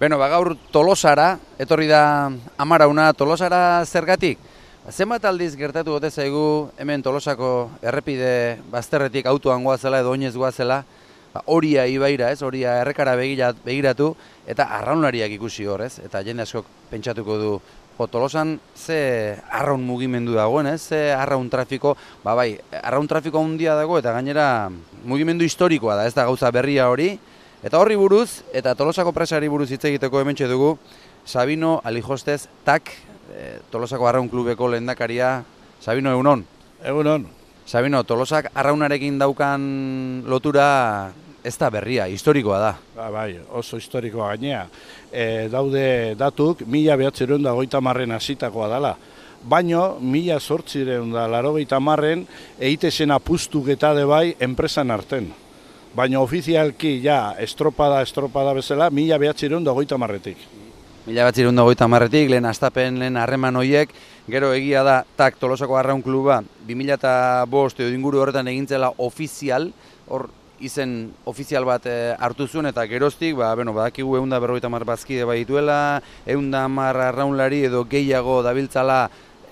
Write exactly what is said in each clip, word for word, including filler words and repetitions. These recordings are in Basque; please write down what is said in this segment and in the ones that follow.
Beno, ba, gaur Tolosara, etorri da Amarauna, Tolosara zergatik? Zenbat aldiz gertatu gote zaigu hemen Tolosako errepide bazterretik autoan goazela edo oinez goazela, ba, Oria ibaira, ez? Oria errekara begiratu eta arraunlariak ikusi hor, ez? Eta jende askok pentsatuko du, jo, Tolosan ze arraun mugimendu dagoen, ez? Ze arraun trafiko, ba bai, arraun trafiko handia dago eta gainera mugimendu historikoa da, ez da gauza berria hori. Eta horri buruz, eta Tolosako presari buruz hitz egiteko hementxe dugu, Sabino Alijostez, tak, e, Tolosako Arraun Klubeko lehendakaria. Sabino, egunon? Egunon. Sabino, Tolosak arraunarekin daukan lotura ez da berria, historikoa da. Ba, bai, oso historikoa gainea. E, daude datuk, mila behatzireun da goita marren hasitakoa dela. Baino, mila sortzireun da laro goita marren, eitezen apustuk eta de bai enpresan arten. Baina ofizialki, ja, estropada, estropada bezala, mila behatzireun da goita marretik. Mila behatzireun da goita marretik, lehen astapen, lehen harreman hoiek, gero egia da, tak, Tolosako Arraun Kluba, bi mila bost edo inguru horretan egintzela ofizial, hor izen ofizial bat e, hartu zuen, eta geroztik, ba, beno, badakigu ehun eta berrogeita hamar bazkide baituela, ehun eta hamar arraunlari edo gehiago dabiltzala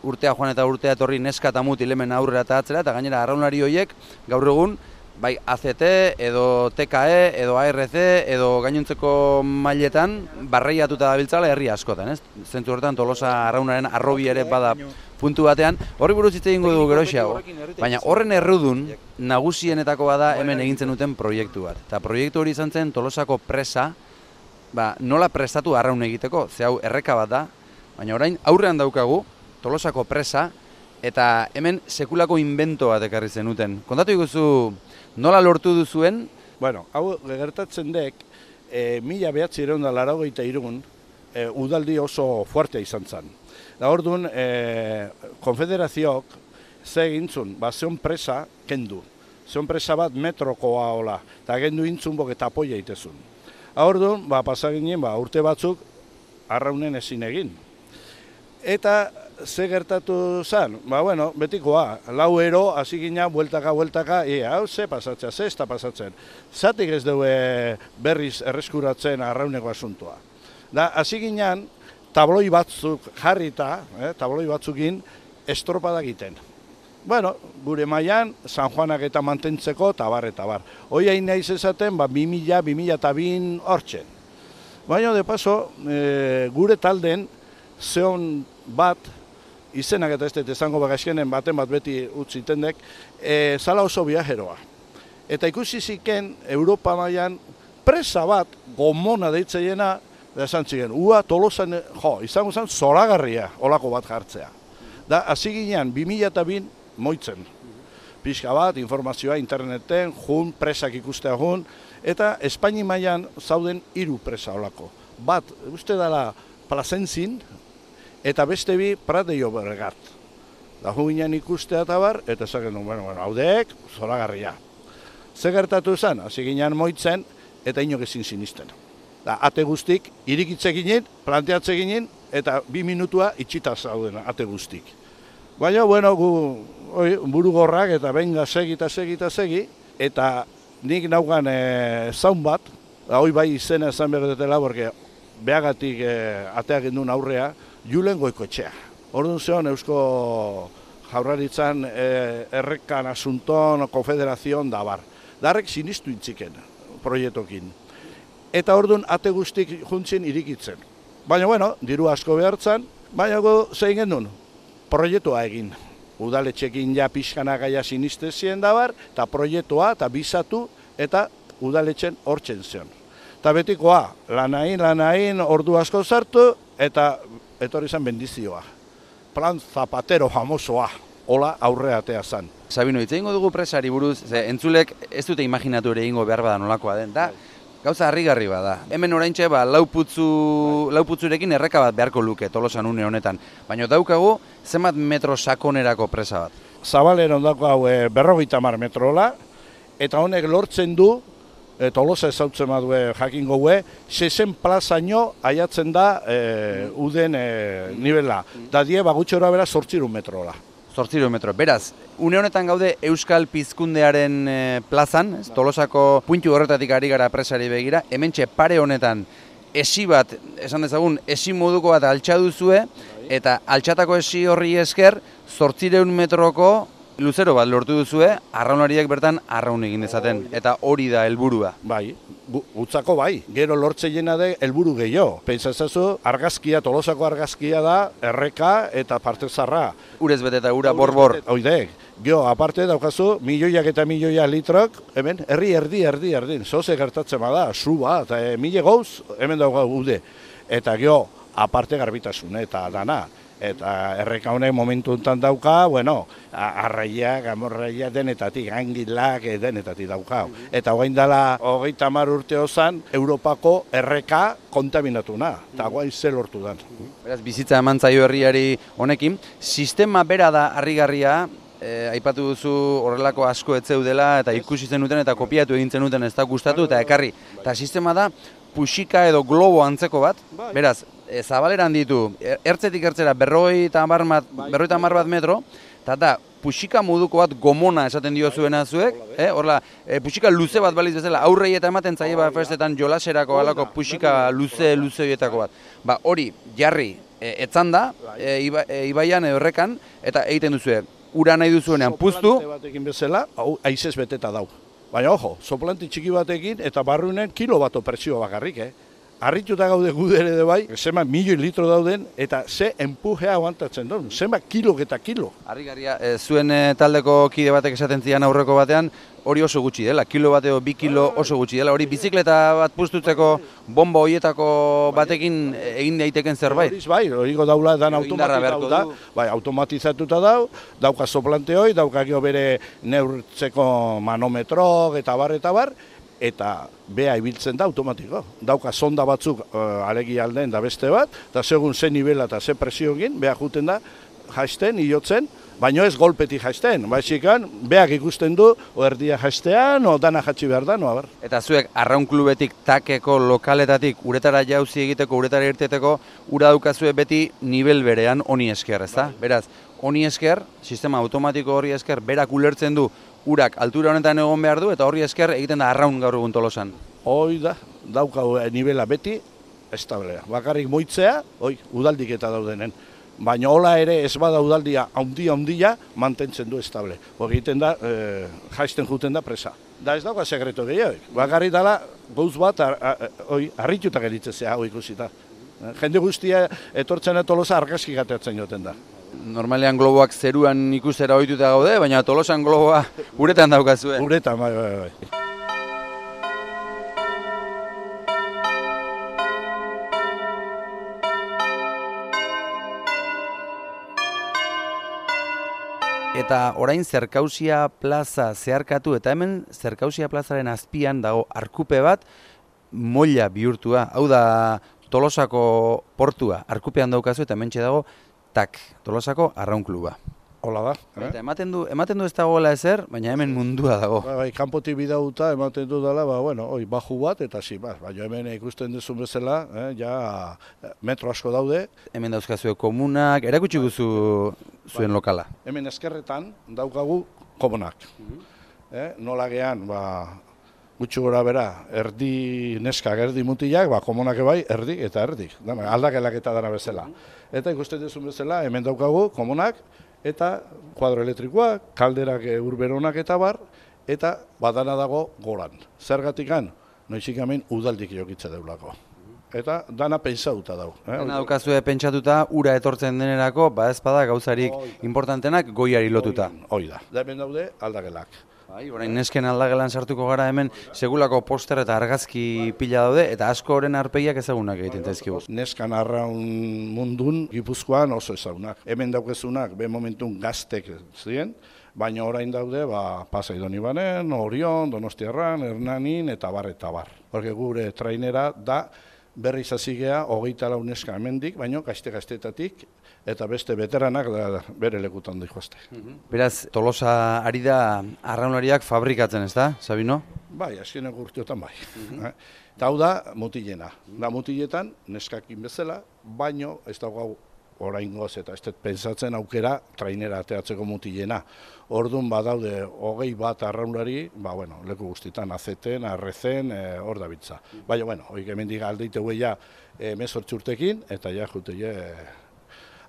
urtea joan eta urtea etorri neska eta mutil hemen aurrera eta atzera, eta gainera arraunlari hoiek, gaur egun, bai A Z T, edo T K E, edo A R C, edo gainontzeko mailetan barreiatuta dabiltzala herri askotan, ez? Zentzu horretan Tolosa arraunaren arrobi ere bada puntu batean. Horri buruz hitz egingo dugu geroxeago, baina horren errudun nagusienetako bada hemen egintzen duten proiektu bat. Eta proiektu hori izan zen Tolosako presa, ba, nola prestatu arraun egiteko, ze hau erreka bat da, baina orain aurrean daukagu Tolosako presa, eta hemen sekulako invento bat ekarri zenuten. Kontatu iguzu, nola lortu duzuen? Bueno, hau gertatzen dek, e, mila behatzireun da laurogeita hirun, e, udaldi oso fuertea izan zen. Da orduan, e, konfederazioak ze egintzun, ba, zeon presa kendu. Zeon presa bat metrokoa hola, eta gendu intzun bok eta apoia itezun. Da orduan, ba, pasaginen, ba, urte batzuk arraunen ezin egin. Eta ze gertatu zen? Ba, bueno, betikoa, lau ero, hasi gina, bueltaka, bueltaka, e, hau, ze pasatzea, ze ez da pasatzen. Zatik ez dugu berriz erreskuratzen arrauneko asuntoa. Da, hasi ginen, tabloi batzuk jarrita, eh, tabloi batzukin, estropada egiten. Bueno, gure mailan San Juanak eta mantentzeko, tabar eta bar. Hoi hain nahiz esaten, ba, bi mila, bi mila eta bin hortzen. Baina, de paso, e, gure talden, zeon bat, izenak eta ez dut ezango bagazkenen baten bat beti utzitendek, e, zala oso viajeroa. Eta ikusi ziken Europa mailan presa bat gomona deitzeiena, da esan ziren, ua Tolosan, jo, izango zen zoragarria olako bat jartzea. Da, hasi ginean, bi mila eta bin moitzen. Pixka bat, informazioa interneten, jun, presak ikustea jun, eta Espaini mailan zauden hiru presa olako. Bat, uste dela Plazentzin, eta beste bi Prat de Llobregat. Da hu ginen ikustea eta bar, eta esaken du, bueno, bueno, haudeek, zoragarria. Ze gertatu zen, hasi ginen moitzen, eta inok ezin sinisten. Da, ate guztik, irikitze ginen, planteatze ginen, eta bi minutua itxita zauden ate guztik. Baina, bueno, gu oi, buru gorrak, eta benga segi eta segi eta segi, eta nik naugan e, zaun bat, da, hoi bai izena esan behar porque behagatik e, ateak indun aurrea, Julen Goikoetxea. Orduan zeon Eusko Jaurlaritzan e, errekan asunton, konfederazion da bar. Darrek sinistu intziken proiektokin. Eta orduan ate guztik juntzien irikitzen. Baina, bueno, diru asko behartzen, baina go zein genuen, proiektua egin. Udaletxekin ja pixkana gaia sinistezien da bar, eta proiektua, eta bizatu, eta udaletxen hortzen zion. Eta betikoa, lanain, lanain, ordu asko zartu, eta etorri zen bendizioa. Plan Zapatero famosoa, hola aurre atea zen. Sabino, hitz egingo dugu presari buruz, ze entzulek ez dute imaginatu ere egingo behar bada nolakoa den, da gauza harrigarri bada. Hemen oraintxe ba, lau putzu, lau putzurekin erreka bat beharko luke Tolosan une honetan, baina daukagu zenbat metro sakonerako presa bat. Zabaleron dako hau e, berrogeita hamar metrola, eta honek lortzen du, E, Tolosa ezautzen badue jakingo gue, zezen plazaino aiatzen da e, uden e, nivela. Da die bagutxora bera zortzirun metrola. Zortzirun metro. Beraz, une honetan gaude Euskal Pizkundearen e, plazan, ez, Tolosako puntu horretatik ari gara presari begira, hementxe pare honetan esi bat, esan dezagun, esi moduko bat altxa duzue, eta altxatako esi horri esker, zortzireun metroko luzero bat lortu duzue, arraunlariek bertan arraun egin dezaten, eta hori da helburua. Bai, gutzako bai, gero lortzeiena de helburu gehiago. Pentsatzen argazkia, Tolosako argazkia da, erreka eta parte zarra. Urez bete eta ura borbor. Oide, gero, aparte daukazu, milioiak eta milioia litrok, hemen, herri, erdi, erdi, erdi, zoze gertatzen bada, zu bat, e, mile gauz, hemen daukagu ude. Eta gero, aparte garbitasun, eta dana. Eta erreka honek momentu enten dauka, bueno, arraia, gamorraia denetatik, angilak denetatik dauka. Eta hogein dela, hogeita hamar urte ozan, Europako erreka kontaminatuna, eta guain zer lortu den. Beraz, bizitza eman zaio herriari honekin, sistema bera da harrigarria, e, aipatu duzu horrelako asko ez zeudela, eta ikusi zenuten eta kopiatu egin zenuten ez da gustatu, eta ekarri. Eta sistema da, puxika edo globo antzeko bat, beraz, e, zabaleran ditu, ertzetik ertzera berroi eta hamar bat metro, eta da, puxika moduko bat gomona esaten dio zuena zuek, eh? Horla, e, puxika luze bat baliz bezala, aurrei eta ematen zaie bat festetan jolaserako alako puxika luze luze horietako bat. Ba, hori, jarri, e, etzan da, e, iba, e, ibaian edo errekan, eta egiten duzue, ura nahi duzuenean puztu. Soplante batekin bezala, hau aizez beteta dau. Baina, ojo, soplante txiki batekin eta barrunen kilo bato presio bakarrik, eh? Arrituta gaude gudere de bai, zema milioi litro dauden eta ze empujea aguantatzen duen, zema kilo eta kilo. Harrigarria, e, zuen e, taldeko kide batek esaten zian aurreko batean, hori oso gutxi dela, kilo bateo bi kilo oso gutxi dela, hori bizikleta bat puztutzeko bomba horietako batekin egin daiteken zerbait. Horiz bai, horiko daula dan automatizatu da, bai, automatizatuta dau, dauka soplante hori, dauka gero bere neurtzeko manometro eta bar eta bar, eta bea ibiltzen da automatiko. Dauka sonda batzuk uh, alegi alden da beste bat, eta segun ze nivela eta ze presio egin, bea juten da, jaisten, iotzen, baino ez golpetik jaisten. Baixikan, beak ikusten du, o erdia jaistean, o dana jatsi behar da, no, abar. Eta zuek, arraun klubetik, takeko, lokaletatik, uretara jauzi egiteko, uretara irteteko, ura daukazue beti nivel berean honi esker, ezta? Beraz, honi esker, sistema automatiko hori esker, berak ulertzen du, urak altura honetan egon behar du, eta horri esker egiten da arraun gaur egun Tolosan. Hoi da, daukau nivela beti, establea. Bakarrik moitzea, hoi, udaldik eta daudenen. Baina hola ere ez bada udaldia haundia haundia mantentzen du estable. Hori egiten da, e, jaisten juten da presa. Da ez dauka sekreto gehiago. Bakarrik dala, gauz bat, harrituta geritzea, hoi ikusita. Jende guztia etortzen Tolosa argazki gateatzen joten da. Normalean globoak zeruan ikustera ohituta gaude, baina Tolosan globoa uretan daukazue. Uretan, bai, bai, bai. Eta orain Zerkausia plaza zeharkatu, eta hemen Zerkausia plazaren azpian dago arkupe bat molla bihurtua. Hau da Tolosako portua, arkupean daukazu eta hementxe dago tak, Tolosako arraun kluba. Hola da. Eh? Eta ematen du, ematen du ez dagoela ezer, baina hemen mundua dago. Ba, bai, kanpotik bidauta ematen du dela, ba, bueno, oi, baju bat eta zi, ba, baina hemen ikusten duzun bezala, eh, ja metro asko daude. Hemen dauzkazue komunak, erakutsi guzu zuen ba, lokala. Hemen eskerretan daukagu komunak. eh, nola gehan, ba, gutxu gora bera, erdi neskak, erdi mutilak, ba, komunak ebai, erdi eta erdik. Dana, aldakelak eta dana bezala. Eta ikusten duzun bezala, hemen daukagu komunak, eta kuadro elektrikoak, kalderak urberonak eta bar, eta badana dago goran. Zergatikan, noizik hemen udaldik jokitza deulako. Eta dana pentsatuta dago. Eh? Dana daukazue pentsatuta, ura etortzen denerako, ba ez bada gauzarik importantenak goiari lotuta. Hoi da. Da hemen daude aldagelak. Bai, orain nesken aldagelan sartuko gara hemen segulako poster eta argazki pila daude, eta asko horren arpegiak ezagunak egiten zaizkigu. Neskan arraun mundun Gipuzkoan oso ezagunak. Hemen daukezunak, be momentun gaztek ziren, baina orain daude, ba, Pasai Donibanen, Orion, Donostiarran, Hernanin eta bar eta bar. Porque gure trainera da berriz hazigea hogeita lau neska hemendik, baina gazte-gaztetatik eta beste beteranak da, bere lekutan dihoazte. Beraz, Tolosa ari da arraunlariak fabrikatzen, ez da, Sabino? Bai, azkenek urteotan bai. Eta hau da mutilena. Da mutiletan neskakin bezala, baino ez dago oraingoz eta ez dut pentsatzen aukera trainera ateatzeko mutilena. Orduan badaude hogei bat arraunlari, ba, bueno, leku guztitan, azeten, arrezen, e, hor da bitza. Baina, bueno, hoik hemendik aldeite ja emezortzi urtekin, eta ja jute je,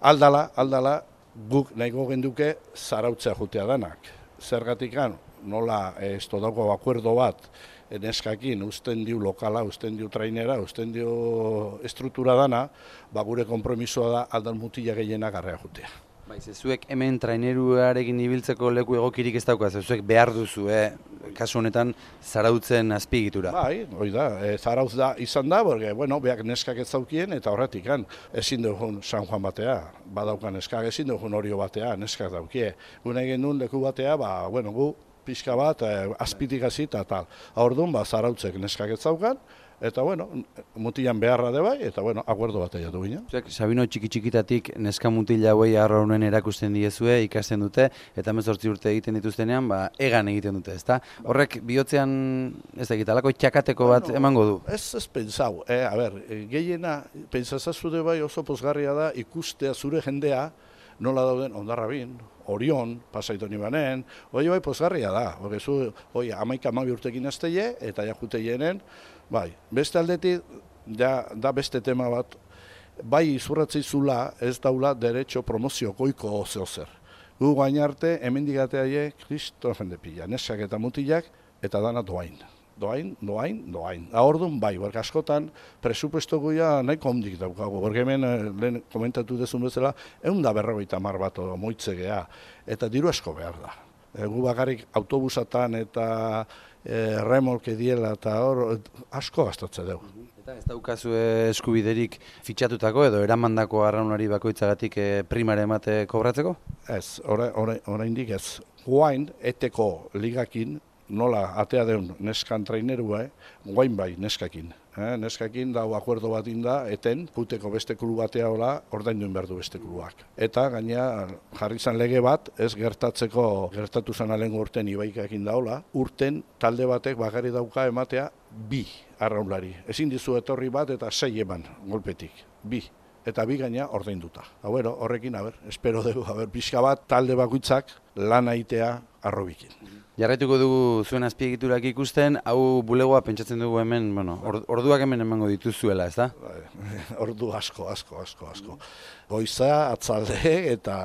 aldala, aldala, guk nahiko genduke zarautzea jutea danak. Zergatikan, nola ez todako akuerdo bat, neskakin usten diu lokala, usten diu trainera, usten diu estruktura dana, ba gure konpromisoa da aldan mutila gehiena garrea jutea. Bai, zuek hemen traineruarekin ibiltzeko leku egokirik ez daukaz, zuek behar duzu, eh? Kasu honetan zarautzen azpiegitura. Bai, hori da, e, zarautz da izan da, porque, bueno, beak neskak ez zaukien, eta horretik, ezin dugun San Juan batea, badaukan neskak, ezin dugun Orio batea, neskak daukie. Gune egin duen leku batea, ba, bueno, gu pixka bat, eh, azpitik hasi eta tal. Orduan, ba, zarautzek neskak ez zaukan, eta, bueno, mutilan beharra de bai, eta, bueno, akuerdo bat egatu ginen. Zuek, Sabino txiki-txikitatik neska mutila hauei arraunen erakusten diezue, ikasten dute, eta hemezortzi urte egiten dituztenean, ba, egan egiten dute, ezta? Horrek bihotzean, ez da, gitalako txakateko bat bueno, emango du? Ez ez pentsau, eh, a ber, gehiena, pentsazazude bai oso pozgarria da ikustea zure jendea, nola dauden Ondarrabin, Orion, Pasaitoni banen, hori bai pozgarria da, hori zu, hori amaika amabi urtekin azteie, eta ja jute jenen, bai, beste aldetik, ja, da beste tema bat, bai izurratzeizula ez daula derecho promozio koiko zehozer. Gu gainarte, hemendigatea je, kristo jende pila, neskak eta mutilak, eta dana doain. Doain, doain, doain. Ahordun bai, berk askotan presupuesto goia nahiko ondik daukago. Berk hemen, lehen komentatu dezun bezala, egun da berrogeita mar bat moitzegea, eta diru asko behar da. E, gu bakarrik autobusatan eta e, remolke diela eta hor asko gastatze dugu. Eta ez daukazu eskubiderik fitxatutako edo eramandako arraunari bakoitzagatik e, primare emate kobratzeko? Ez, oraindik ez. Guain, eteko ligakin, nola atea deun neskan trainerua, eh? Guain bai neskakin. Eh? Neskakin dau akuerdo bat inda, eten, puteko beste klub batea hola, ordainduen behar du beste klubak. Eta gaina jarri zan lege bat, ez gertatzeko, gertatu zan alengo urten ibaikakin daola, urten talde batek bakarri dauka ematea bi arraunlari. Ezin dizu etorri bat eta sei eman golpetik, bi. Eta bi gaina ordainduta. Hauero, horrekin, haber, espero dugu, haber, pixka bat talde bakoitzak lan aitea arrobikin. Jarraituko dugu zuen azpiegiturak ikusten, hau bulegoa pentsatzen dugu hemen, bueno, orduak hemen emango dituzuela, ez da? Ordu asko, asko, asko, asko. Goiza, atzalde eta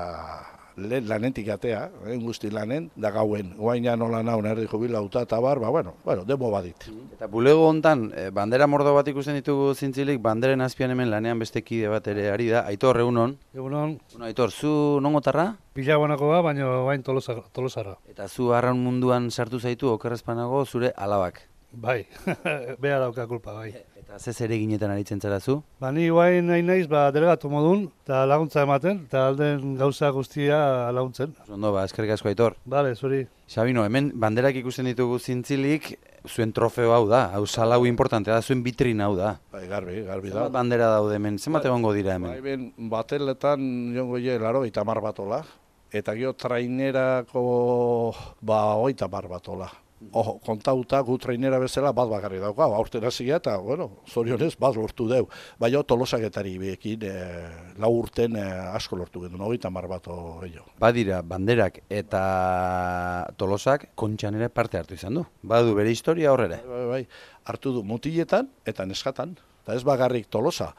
lehen lanetik atea, lehen guzti lanen, da gauen, guaina nola naun erdi jubilauta eta bar, ba, bueno, bueno, demo badit. Eta bulego hontan, bandera mordo bat ikusten ditugu zintzilik, banderen azpian hemen lanean beste kide bat ere ari da. Aitor, egunon? Egunon. Bueno, Aitor, zu nongotarra? Bilaguanakoa, baina bain Tolosarra. Eta zu arraun munduan sartu zaitu, okerrezpanago, zure alabak? Bai, beha dauka kulpa, bai. Eta ze ere ginetan aritzen zara zu? Ba, ni guain nahi naiz, ba, delegatu modun, eta laguntza ematen, eta alden gauza guztia laguntzen. Ondo, ba, eskerrik asko, Aitor. Bale, zuri. Sabino, hemen banderak ikusten ditugu zintzilik, zuen trofeo hau da, hau salau importantea da, zuen vitrina hau da. Bai, garbi, garbi da. Zenbat bandera daude hemen, zenbat egongo dira hemen? Bai, ben, bateletan jongo je, laro, eta mar batola, eta gio trainerako, ba, oita mar batola. Ojo, kontauta gu trainera bezala bat bakarri dauka, aurten hasia eta, bueno, zorionez bat lortu deu. Baina tolosaketari bekin e, lau urten e, asko lortu gendu, hogeita mar bat gehiago. Badira, banderak eta Tolosak kontxan ere parte hartu izan du. Badu bere historia horrere. Bai, bai, bai, hartu du mutiletan eta neskatan, eta ez bakarrik Tolosa.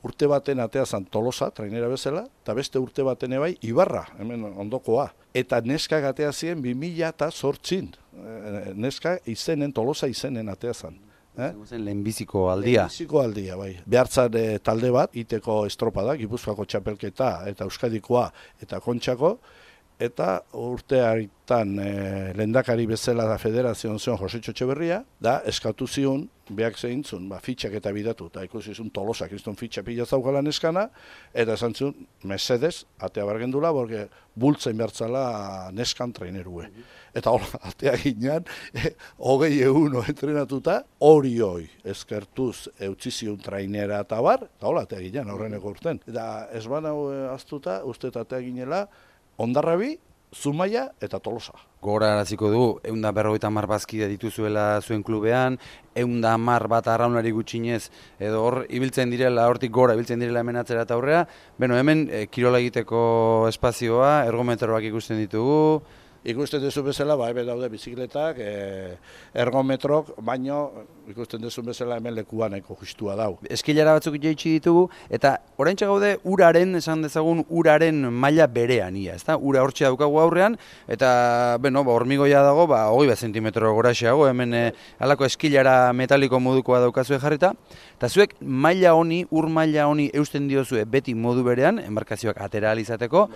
Urte baten atea zan Tolosa, trainera bezala, eta beste urte baten ebai Ibarra, hemen ondokoa. Eta neska atea ziren bi mila eta zortzin. Neska izenen, Tolosa izenen atea zan. Eh? Lehenbiziko aldia. Lehenbiziko aldia, bai. Behartzan e, talde bat, iteko estropada, Gipuzkoako txapelketa eta Euskadikoa eta Kontxako, eta urte haritan e, lehendakari bezala da federazioan zion Jose Txotxeberria, da eskatu zion, behak zehintzun, ba, fitxak eta bidatu, eta ikusi zuen Tolosa, kriston fitxa pila zaukala neskana, eta esan zuen, mesedez, atea bargendula, borge bultzen behartzala neskan trainerue. Eta hola, atea ginean, eh, hogei eguno entrenatuta, hori hoi, eskertuz eutzizion trainera eta bar, eta hola, atea ginean, horreneko urten. Eta ez ban hau aztuta, uste eta atea ginela, Ondarrabi Zumaia eta Tolosa. Gogoraraziko du, ehun eta berrogeita hamar bazkide dituzuela zuen klubean, ehun eta hamar bat arraunari gutxinez, edo hor ibiltzen direla, hortik gora ibiltzen direla hemen atzera eta aurrera. Beno, hemen e, kirola egiteko espazioa, ergometroak ikusten ditugu. Ikusten duzu bezala, ba, hemen daude bizikletak, e, ergometrok, baino ikusten duzu bezala hemen lekuan eko justua dau. Eskilara batzuk jaitsi ditugu, eta oraintxe gaude uraren, esan dezagun, uraren maila berean, ia, ezta? Ura hortxe daukagu aurrean, eta, beno, ba, hormigoia dago, ba, hogei bat zentimetro goraxeago, hemen e, halako eskilara metaliko modukoa daukazue jarrita, eta zuek maila honi, ur maila honi eusten diozue beti modu berean, enbarkazioak atera ahal izateko,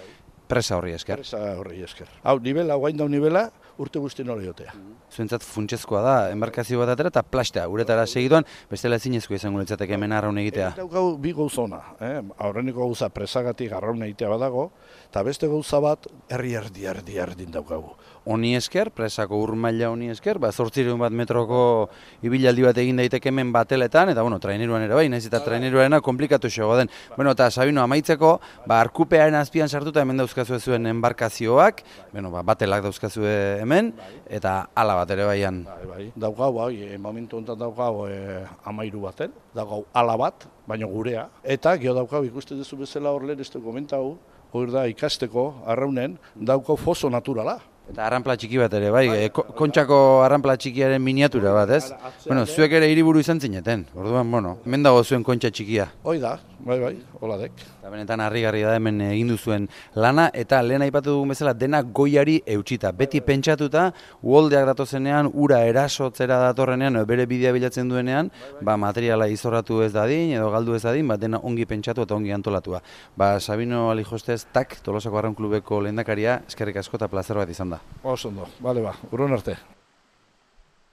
presa horri esker. Presa horri esker. Hau, nivela, guain dau nivela, urte guztien hori jotea. Zuentzat funtsezkoa da, enbarkazio bat atera eta plastea, uretara segituan, bestela ezinezkoa izango litzateke hemen arraun egitea. Eta daukau bi gauzona, eh? Aurreneko gauza presagatik arraun egitea badago, eta beste gauza bat herri erdi erdi erdin daukagu. Honi esker, presako ur maila honi esker, ba, zortzireun bat metroko ibilaldi bat egin daiteke hemen bateletan, eta bueno, traineruan ere bai, nahiz eta traineruarena komplikatu xego den. Bueno, eta Sabino, amaitzeko, ba, arkupearen azpian sartuta hemen dauzkazue zuen enbarkazioak, bueno, ba, batelak dauzkazue hemen, eta ala bat ere baian. Bai, bai. Daukau, bai, momentu honetan daukau e, amairu baten, daukau ala bat, baina gurea, eta gio daukau ikusten duzu bezala hor lehen ez du komentau, hor da ikasteko arraunen daukau foso naturala. Eta arranpla txiki bat ere, bai, e, kontxako arranpla txikiaren miniatura bat, ez? Bueno, zuek ere hiriburu izan zineten, orduan, bueno, hemen dago zuen kontxa txikia. Hoi da, bai, bai, hola dek. Eta benetan harrigarri da hemen egin duzuen lana, eta lehen aipatu dugun bezala dena goiari eutxita. Beti pentsatuta, uholdeak datozenean, ura erasotzera datorrenean, bere bidea bilatzen duenean, ba, materiala izorratu ez dadin, edo galdu ez dadin, ba, dena ongi pentsatu eta ongi antolatua. Ba, Sabino Alijostez, tak, Tolosako Arraun Klubeko lehendakaria, eskerrik asko eta plazer bat izan da. Oso ondo, bale ba, urrun arte.